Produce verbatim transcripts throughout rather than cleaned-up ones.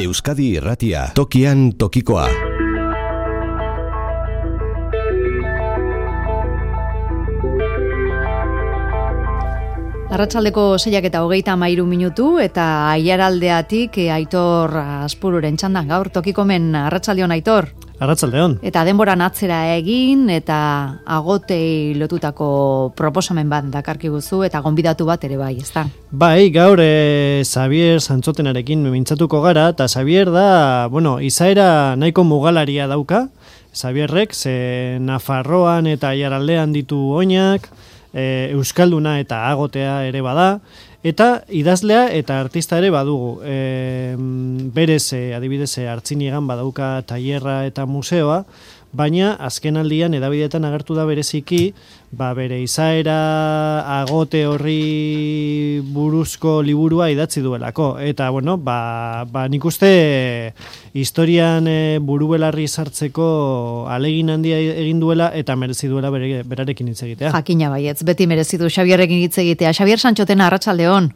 Euskadi Irratia, tokian tokikoa. Arratsaldeko seiak eta hogeita hamairu minutu eta Aiaraldeatik Aitor Azpururen txandan gaur tokikomen. Arratsaldeon, Aitor. Arratsaldeon. Eta denboran atzera egin eta agotei lotutako proposamen bat dakarkiguzu eta gonbidatu bat ere bai, ezta? Bai, gaur e, Xabier Santxotenarekin mintzatuko gara, eta Xabier da, bueno, izaera nahiko mugalaria dauka. Xabierrek, ze Nafarroan eta Aiaraldean ditu oinak, e, Euskalduna eta agotea ere bada, eta idazlea eta artista ere badugu. E, berez, e, adibidez, Artziniegan badauka tailerra eta museoa, baina azken aldian edabideetan agertu da bereziki, ba bere izaera agote horri buruzko liburua idatzi duelako. Eta, bueno, ba, ba nik uste historian e, burubelarri sartzeko alegin handia egin duela eta merezi duela bere, berarekin hitz egitea. Jakina baietz, beti merezi du Xabierrekin hitz egitea. Xabier Santxotena, arratsaldeon.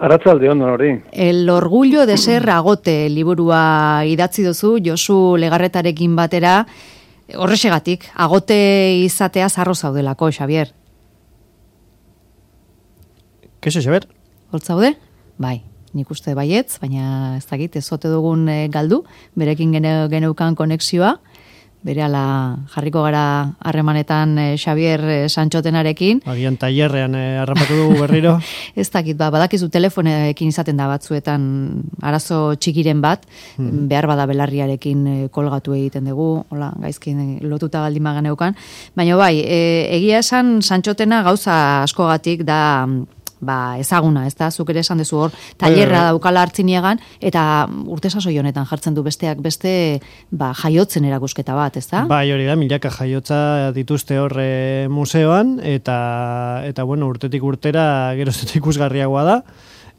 Arratsaldeon hori. El orgullo de ser agote liburua idatzi duzu Josu Legarretarekin batera. Horrexegatik, agote izatea zarro zaudelako, Xabier. Kexo, Xabier? Holt zaude? Bai, nik uste baietz, baina ez dakit, ez ote dugun e, galdu, berekin gene, geneukan konexioa. Berehala jarriko gara harremanetan e, Xabier e, Santxotenarekin. Agian tailerrean e, harrapatu dugu berriro. Ez dakit, ba, badakizu telefonekin izaten da batzuetan arazo txikiren bat, hmm. behar bada belarriarekin e, kolgatu egiten dugu, hola, gaizkin e, lotuta baldin maganeukan. Baina bai, e, egia esan Santxotena gauza askogatik da ba, ezaguna, ez da, zuk ere esan dezu hor, tailerra daukala Artziniegan, eta urte sasoi honetan jartzen du besteak beste, ba, jaiotzen erakusketa bat, ez da? Bai, hori da, milaka jaiotza dituzte hor e, museoan, eta, eta bueno, urtetik urtera gerozetik ikusgarriagoa da,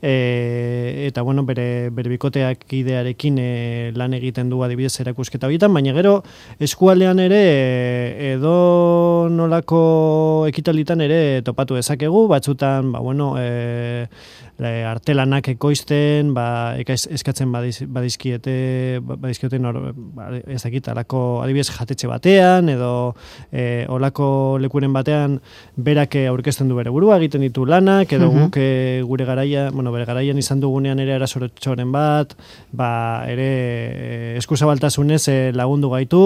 e, eta bueno, bere, bere bikoteak idearekin e, lan egiten du adibidez erakusketa horietan, baina gero eskualdean ere e, edo nolako ekitalitan ere topatu dezakegu, batzutan, ba bueno, e, artelanak ekoizten, ba, eskatzen badiz, badizkiete, badizkieten hor, ba, ez dakit, alako adibidez jatetxe batean, edo e, olako lekuren batean berak aurkezten du bere burua, egiten ditu lanak, edo uh-huh. guk e, gure garaia, bueno, bere garaian izan dugunean ere arasorotxoren bat, ba, ere e, eskuzabaltasunez e, lagundu gaitu,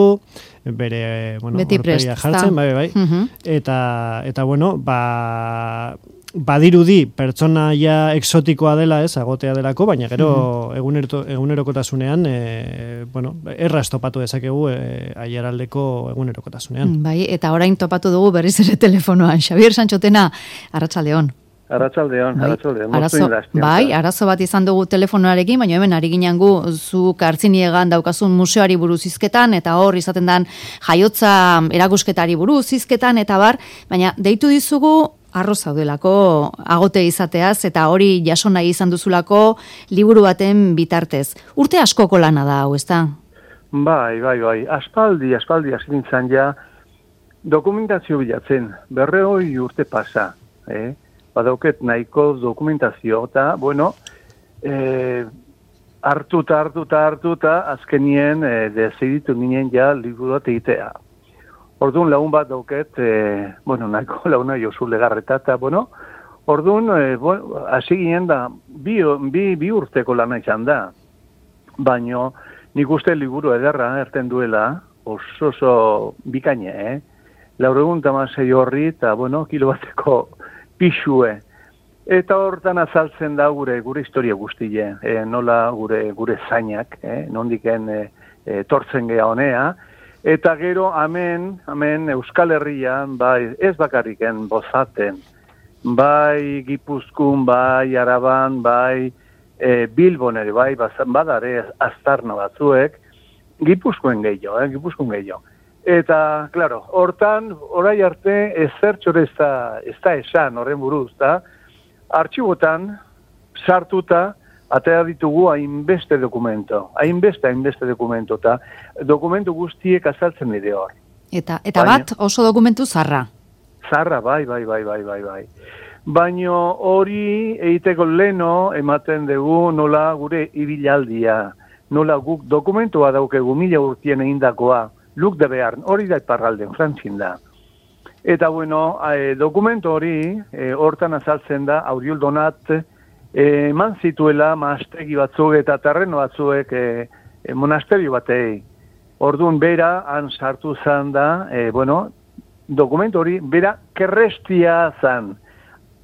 bere, bueno, horpegia jartzen, bai, bai, uh-huh. eta, eta, bueno, ba, badirudi pertsonaia exotikoa dela, ez, agotea delako, baina gero uh-huh. egunero, egunerokotasunean, e, bueno, erraz topatu dezakegu e, Aiaraldeko egunerokotasunean. Bai, eta orain topatu dugu berriz ere telefonoan. Xabier Santxotena, arratsaldeon. Arratsaldeon, arratsaldeon. Arazo, bai, arazo bat izan dugu telefonoarekin, baina hemen ari ginen gu zuk Artziniegan daukazun museoari buruz hizketan, eta hor izaten dan jaiotza erakusketari buruz hizketan, eta bar, baina deitu dizugu arro zaudelako agote izateaz, eta hori jaso nahi izan duzulako liburu baten bitartez. Urte askoko lana da, hau, ezta? Bai, bai, bai. Aspaldi, aspaldi asintzan ja dokumentazio bilatzen. Berrehoi urte pasa, eh? Badauket nahiko dokumentazio, eta, bueno, eh, hartuta, hartuta, hartuta, azkenien eh, deziditu ginen ja liburu bat egitea. Orduan lagun bat dauket, eh, bueno, nahiko laguna Josu Legarreta, eta, bueno, orduan, eh, bueno, hasi ginen da, bi, bi, bi urteko lana izan da, baino nik uste liburu ederra erten duela, oso oso bikaine, eh? Lauregun tamasei horri, eta, bueno, kilo bateko pixue. Eta hortan azaltzen da gure gure historia guztie, e, nola gure gure zainak, eh, nondiken e, e, tortzen gea honea, eta gero hemen, hemen Euskal Herrian, bai, ez bakarriken bozaten, bai Gipuzkoan, bai Araban, bai e, Bilbon ere, bai, badare aztarna batzuek, Gipuzkoen gehiago, eh, Gipuzkoen gehiago. Eta, klaro, hortan, orai arte, ezertxore ez da, ez da esan, horren buruz, da, artxibotan, sartuta, atera ditugu hainbeste dokumento, hainbeste, hainbeste dokumento, eta dokumentu guztiek azaltzen dide hor. Eta, eta Baina, bat oso dokumentu zarra? Zarra, bai, bai, bai, bai, bai, bai. Baino hori egiteko leno ematen dugu nola gure ibilaldia, nola guk dokumentua daukegu mila urtien egindakoa, Luk de Bearn, hori da iparralden, Frantzin da. Eta bueno, e, dokumento hori, e, hortan azaltzen da, Auriol Donat, e, eman zituela maastegi batzuk eta terreno batzuek e, e, monasterio batei. Orduan bera, han sartu zan da, e, bueno, dokumento hori, bera kerrestia zan.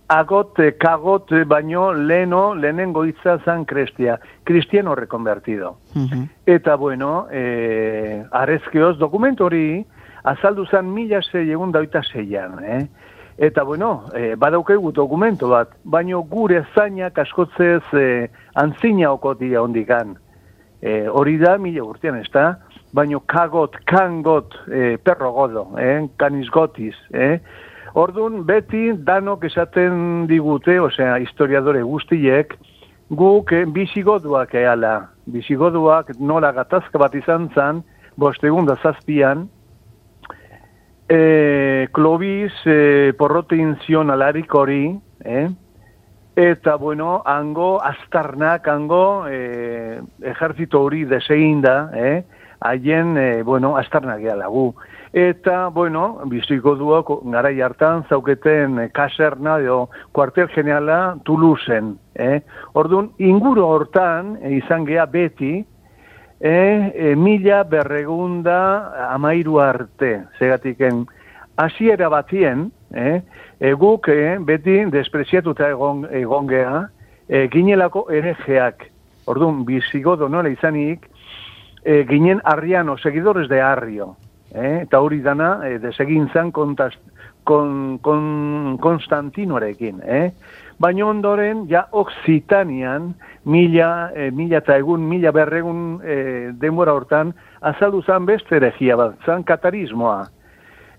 Agot, kagot, baino, leno, lehenengo hitza zan krestia. Cristiano reconvertido. Uh-huh. Eta bueno, e, arezkeoz, dokumento hori, azaldu zan mila zei egun daita zeian, eh? Eta bueno, e, badaukegu dokumento bat, baino gure zainak askotzez e, antzina okotia ondikan. E, hori da, mila urtean, ez da? Baino kagot, kangot, e, perro godo, eh? Canis gotis, eh? Orduan, beti danok esaten digute, osea, historiadore guztiek, guk eh, bisigoduak eala. Bisigoduak nola gatazka bat izan zan, bostegun da zazpian, e, Clovis e, porrotein zion alarik hori, eh? Eta, bueno, hango, astarnak, hango, e, ejerzito hori desegin da, eh? Haien, e, bueno, astarnak eala gu. Eta, bueno, biziko duak garai hartan zauketen e, kaserna edo kuartel generala Toulouseen. Eh? Orduan, inguru hortan e, izan gea beti e, e, mila berregunda amairu arte. Zegatiken, hasiera batien, eh? e, guk e, beti despreziatuta egon, egon gea, e, ginelako erejeak. Orduan, bizigodo nola izanik, e, ginen arriano, seguidores de Arrio. Eh, eta hori dana eh, desegin zan kontast, kon, kon, Konstantinoarekin. Eh? Baina ondoren, ja Occitanian, mila, eh, mila eta egun, mila berregun eh, denbora hortan, azaldu zan beste eregia bat, zan katarismoa.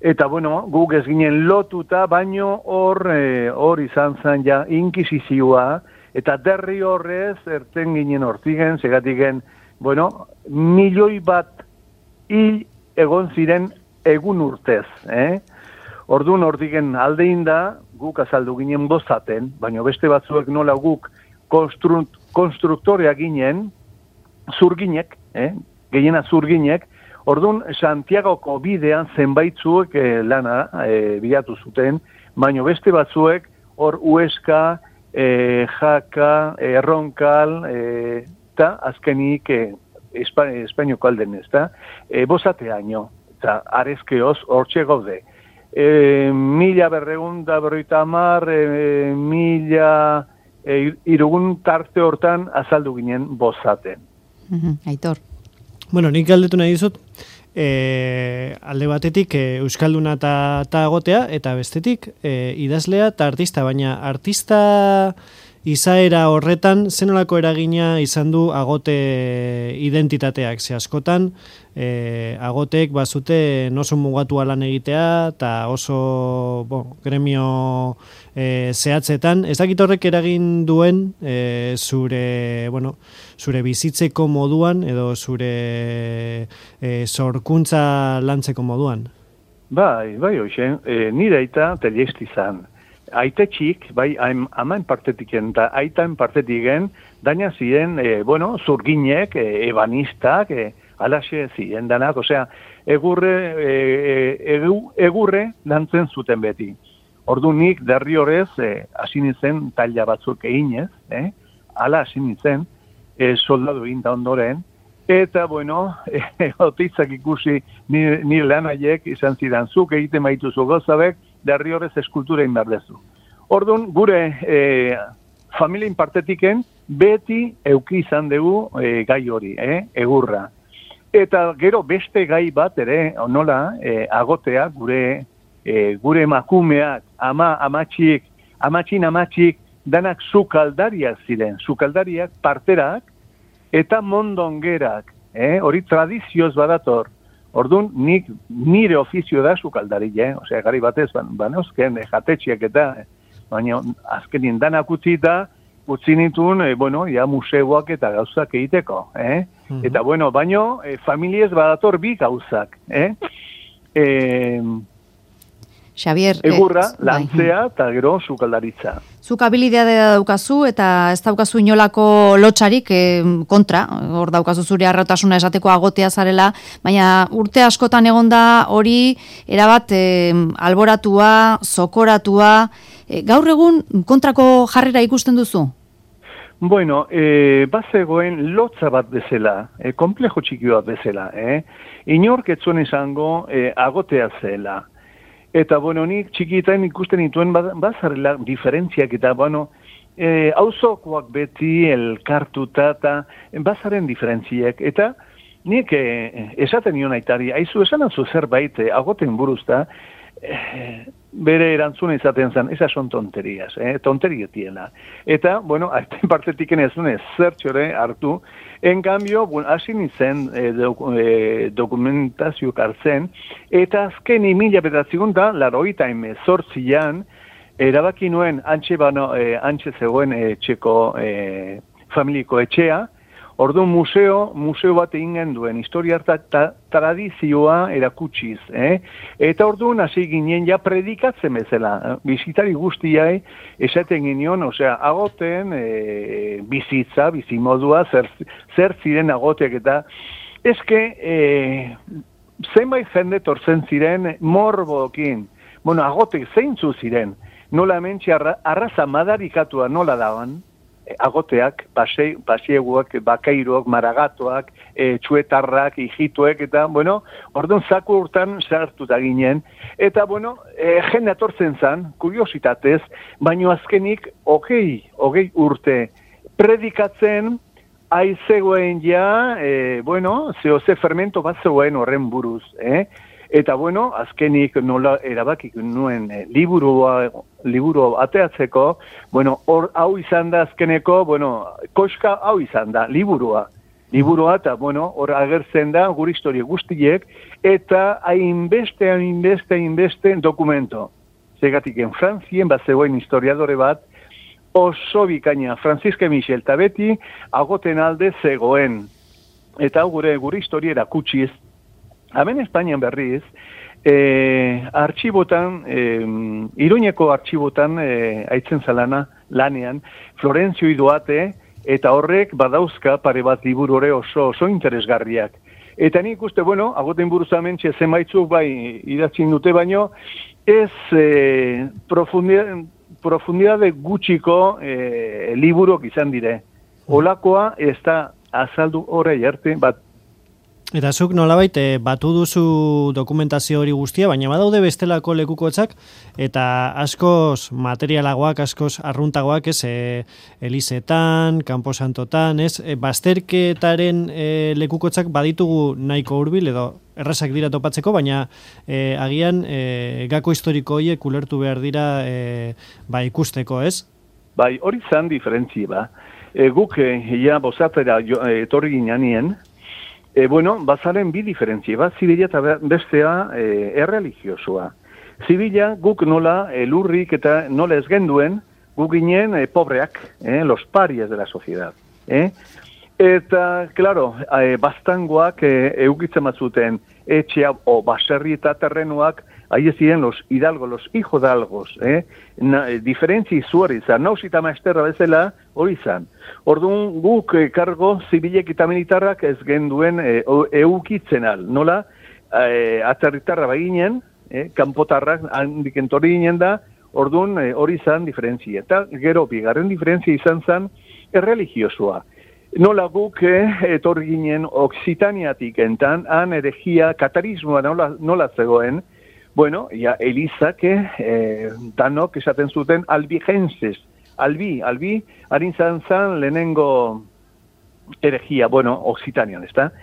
Eta, bueno, guk ez ginen lotuta, baino hor eh, hor izan zan ja inkisizioa, eta derri horrez, erten ginen hortigen, segatigen, bueno, milioi bat hil egon ziren egun urtez, eh? Orduan hortigen aldein da, guk azaldu ginen bozaten, baina beste batzuek nola guk konstru, konstruktorea ginen, zurginek, eh? Gehiena zurginek, orduan Santiagoko bidean zenbaitzuek eh, lana eh, bilatu zuten, baina beste batzuek hor Huesca, eh, Jaka, Erronkal, eta eh, azkenik eh, Espainioko alden ez da, e, bozateaino, eta arezkeoz hortxe gaude. E, mila berregunda berroita amar, e, mila e, irugun tarte hortan azaldu ginen bozaten. Aitor. Bueno, nik galdetu nahi dizut, e, alde batetik e, euskalduna eta agotea, eta bestetik e, idazlea eta artista, baina artista izaera horretan, zenolako eragina izan du agote identitateak, ze askotan, e, agotek bazute oso mugatu lan egitea, eta oso bo, gremio e, zehatzetan. Ez dakit horrek eragin duen e, zure, bueno, zure bizitzeko moduan, edo zure e, sorkuntza lantzeko moduan? Bai, bai, hoxe, e, nire aita telesti zan. Aite txik, bai, amain partetiken eta aitain partetiken, daina ziren, e, bueno, zurginek, e, ebanistak, e, alaxe ziren danak, osea, egurre, e, egu, egurre lantzen zuten beti. Ordu nik derri horrez, e, asinitzen taila batzuk eginez, eh? Ala asinitzen, e, soldadu egin da ondoren, eta, bueno, e, otitzak ikusi nire, nire lanaiek izan zidan, zuk egiten baituzu gozabek, derri horrez eskultura inberdezu. Orduan, gure e, familien partetiken beti euki izan dugu e, gai hori, eh? Egurra. Eta gero beste gai bat ere, nola, e, agotea, gure, e, gure emakumeak, ama, amatxik, amatxin amatxik, danak sukaldariak ziren, sukaldariak, parterak, eta mondongerak, eh? Hori tradizioz badator. Orduan, nik nire ofizio da sukaldari, eh? Osea, gari batez, banozken, eh, jatetxiak eta, baina azkenin danak utzi eta utzi nituen, e, bueno, ja museoak eta gauzak egiteko, eh? Mm-hmm. Eta, bueno, baino, e, familiez badator bi gauzak, eh? E, Xabier, egurra, eh, lantzea eta gero sukaldaritza. Zuk habilidadea daukazu eta ez daukazu inolako lotxarik eh, kontra, hor daukazu zure arrotasuna esateko agotea zarela, baina urte askotan egonda hori erabat eh, alboratua, zokoratua, eh, gaur egun kontrako jarrera ikusten duzu? Bueno, eh, bazegoen lotza bat bezala, eh, komplejo txiki bat bezala, eh? Inork ez zuen esango eh, agotea zela. Eta, bueno, nik txikitan ikusten dituen bazarela diferentziak eta, bueno, e, auzokoak beti elkartuta eta bazaren diferentziak. Eta nik e, esaten nion aitari, haizu esan atzu zerbait e, agoten buruzta, e, bere erantzuna izaten zen, esa son tonterias, eh? tonterietiela. Eta, bueno, aiten partetik enezun ez zertxore hartu, en cambio, bueno, hasi nintzen eh, doku, eh, dokumentazioak hartzen, eta azken mila bederatziehun eta laurogeita hemezortzian erabaki nuen antxe, bano, eh, antxe zegoen eh, txeko eh, familiko etxea, orduan museo, museo bat egin genduen, historia eta ta, tradizioa erakutsiz. Eh? Eta orduan hasi ginen ja predikatzen bezala. Bizitari guztiai esaten ginen, osea, agoten e, bizitza, bizimodua, zer, zer ziren agoteak eta eske e, zenbait jende tortzen ziren morbokin. Bueno, agotek zeintzu ziren. Nola mentxe arra, arraza madarikatua nola daban, agoteak, pasieguak, bakairoak, maragatoak, e, txuetarrak, hijituek, eta, bueno, orduan zaku urtan sartuta ginen, eta, bueno, e, jende atortzen zan, kuriositatez, baino azkenik, hogei, hogei urte, predikatzen, aizegoen ja, e, bueno, zeo ze fermento bat zegoen horren buruz, eh? Eta, bueno, azkenik nola erabakik nuen e, liburua, liburu ateatzeko, bueno, hor hau izan da azkeneko, bueno, koska hau izan da, liburua. Liburua eta, bueno, hor agertzen da gure historia guztiek, eta hainbeste, hainbeste, hainbeste dokumento. Zegatik, en Frantzien bat zegoen historiadore bat, oso bikaina, Franziska Michel eta beti agoten alde zegoen. Eta gure gure historia erakutsiz, hemen Espainian berriz, eh, artxibotan, eh, Iruñeko artxibotan eh, aitzen zalana lanean, Florentzio Idoate, eta horrek badauzka pare bat liburore oso, oso interesgarriak. Eta nik uste, bueno, agoten buruzamentxe zenbaitzuk bai idatzin dute baino, ez eh, profundidade, profundidade gutxiko eh, liburok izan dire. Olakoa ez da azaldu horrei arte, bat Eta zuk nolabait e, batu duzu dokumentazio hori guztia, baina badaude bestelako lekukotzak, eta askoz materialagoak, askoz arruntagoak, ez, e, elizetan, kanposantotan, ez, e, bazterketaren e, lekukotzak baditugu nahiko hurbil edo errazak dira topatzeko, baina e, agian e, gako historiko horiek ulertu behar dira e, ba, ikusteko, ez? Bai, hori zan diferentzi, ba. E, guk, e, ja, bozatera etorri gineanien, E, bueno, bazaren bi diferentzia, bat zibila eta bestea e, erreligiosoa. Zibila guk nola e, lurrik eta nola ez genduen, guk ginen e, pobreak, eh, los parias de la sociedad. Eh? Eta, claro, e, bastangoak e, eukitzen batzuten etxea o baserri eta terrenuak, ahi ez ziren los hidalgos, los hijodalgos, eh? Na, e, diferentzi zuari izan, nausita maesterra bezala hori izan. Orduan guk e, kargo zibilek eta militarrak ez genduen e, eukitzen al, nola? E, atzerritarra baginen, e, kanpotarrak handik entorri ginen da, orduan e, hori izan diferentzia. Eta gero bigarren diferentzia izan zen erreligiosoa. Nola guk eh, etorri ginen Oksitaniatik entan, han eregia, katarismoa nola, nola zegoen, bueno, ja, Elizak, eh, danok esaten zuten albigenses, albi, albi, harin zan zan lehenengo eregia, bueno, Oksitanian, ezta?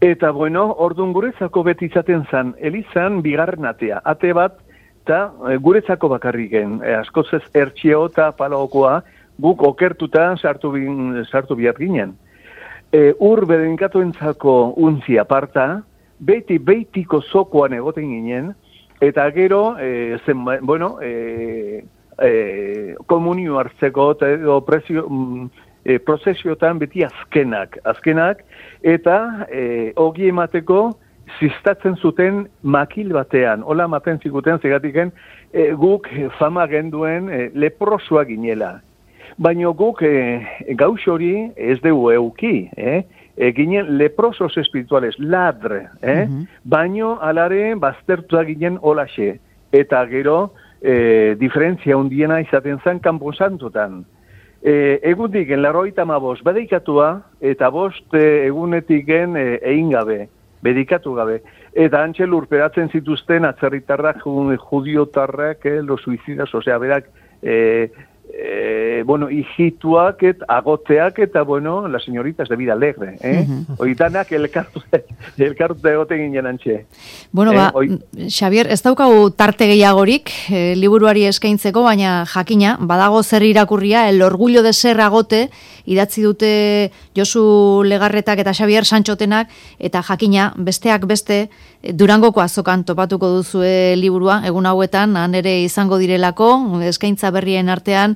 Eta, bueno, orduan guretzako beti izaten zan, Elizan bigarren atea, ate bat, eta e, guretzako bakarriken, e, askoz ez ertxeo eta palaokoa, guk okertuta sartu, bin, sartu bihar ginen. E, ur bedenkatuentzako untzi aparta, beti beitiko zokoan egoten ginen, eta gero, e, zen, bueno, e, e, komunio hartzeko, edo prezio, e, prozesiotan beti azkenak, azkenak, eta e, ogi emateko ziztatzen zuten makil batean, hola maten zikuten zigatiken, e, guk fama genduen e, leprosoa ginela. Baina guk e, gauz hori ez dugu euki, eh? E, ginen leprosos espirituales, ladre, eh? Uh-huh. Baina alare baztertua ginen holaxe. Eta gero, e, diferentzia hundiena izaten zen kanpo santotan. E, egundik, en larroita ma bost, bedeikatua, eta bost e, egunetik gen e, egin gabe, bedikatu gabe. Eta antxe lurperatzen zituzten atzerritarrak, judiotarrak, eh, los suicidas, osea, berak, eh, eh, bueno, hijituak, et, agoteak, eta, bueno, las señoritas de vida alegre, eh? Uh-huh. Oitanak elkartu, elkartu egoten ginen antxe. Bueno, eh, ba, oi... Xabier, ez daukagu tarte gehiagorik, eh, liburuari eskaintzeko, baina jakina, badago zer irakurria, el orgullo de ser agote, idatzi dute Josu Legarretak eta Xabier Santxotenak, eta jakina, besteak beste, Durangoko azokan topatuko duzue liburua, egun hauetan, han ere izango direlako, eskaintza berrien artean,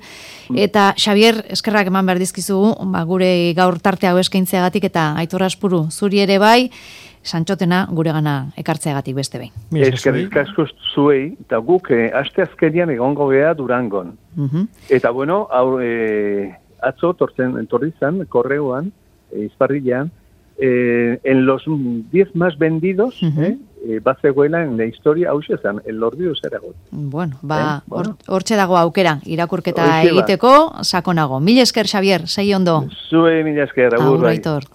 eta Xabier, eskerrak eman behar dizkizugu, ba, gure gaur tarte hau eskaintzeagatik, eta Aitor Aspuru, zuri ere bai, Santxotena gure gana ekartzeagatik beste behin. Eskerrik asko zuei, eta guk eh, aste azkenian egongo gea Durangon. Uh-huh. Eta bueno, hau, eh, atzo tortzen, entorri zan, korreoan, eh, izparrilean, eh, en los diez más vendidos, uh-huh. eh, eh, bat zegoela en la historia hau zezan, el orgullo de ser agote. Bueno, ba, eh? bueno. hortxe dago aukera, irakurketa egiteko, sakonago. Mil esker, Xabier, segi ondo. Zue, mil esker, agur, agur, Aitor.